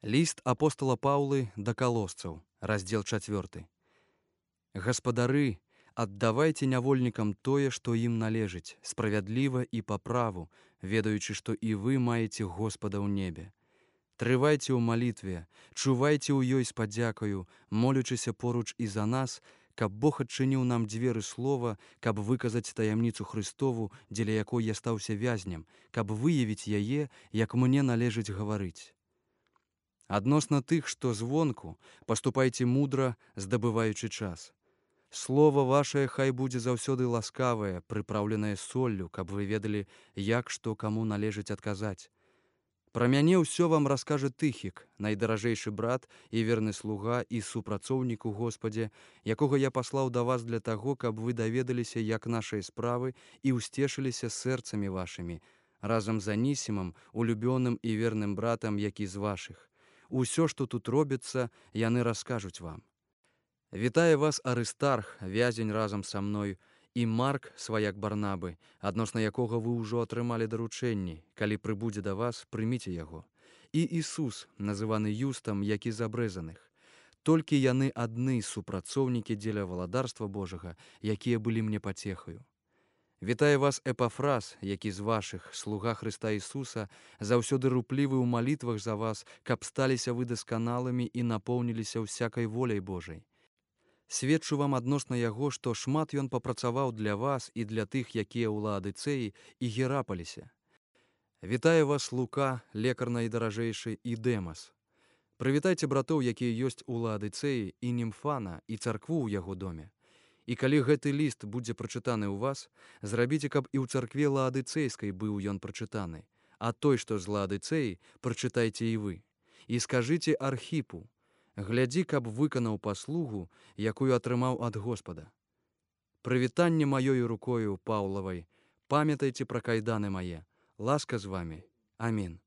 Ліст апостала Паўлы да калосцаў, раздзел 4. Гаспадары, аддавайце нявольнікам тое, што ім належыць, справядліва і па праву, ведаючы, што і вы маеце Господа ў небе. Трывайце ў малітве, чувайце ў ёй з падзякаю, молячыся поруч і за нас, каб Бог адчыніў нам дзверы слова, каб выказаць таямніцу Христову, дзеля якой я стаўся вязнем, каб выявіць яе, як мне належыць гаварыць. Адносна тых, што звонку, паступайце мудра, здабываючы час. Слова вашае хай будзе заўсёды ласкавае, прыпраўленае соллю, каб вы ведалі, як што каму належыць адказаць. Пра мяне ўсё вам раскажа Тыхік, найдаражэйшы брат і верны слуга і супрацоўнік у Господе, якога я паслаў да вас для таго, каб вы даведаліся, як нашыя справы і ўсцешыліся сэрцамі вашымі, разам з Анісімам, улюбёным і верным братам, які з вашых. Усё, што тут робіцца, яны раскажуць вам. Вітае вас Арыстарх, вязень разам са мной, і Марк, сваяк Барнабы, адносна якога вы ўжо атрымалі даручэнні. Калі прыбудзе да вас, прыміце яго. І Ісус, называны Юстам, які з абрэзаных. Толькі яны адны супрацоўнікі дзеля валадарства Божага, якія былі мне пацехаю. Вітае вас Эпафраз, які з вашых, слуга Хрыста Ісуса, заўсёды руплівы ў малітвах за вас, каб сталіся вы дасканалымі і напоўніліся ўсякай воляй Божай. Сведчу вам адносна яго, што шмат ён папрацаваў для вас і для тых, якія ў Лаадыцэі і Герапалісе. Вітае вас Лука, лекар найдаражэйшы, і Дэмас. Прывітайце братоў, якія ёсць у Лаадыцэі, і Німфана, і царкву ў яго доме. І калі гэты ліст будзе прачытаны ў вас, зрабіце, каб і ў царкве Лаадыцэйскай быў ён прачытаны, а той, што з Лаадыцэі, прачытайце і вы. І скажыце Архіпу: глядзі, каб выканаў паслугу, якую атрымаў ад Господа. Прывітанне маёю рукою Паўлавай, памятайце пра кайданы мае. Ласка з вамі. Амін.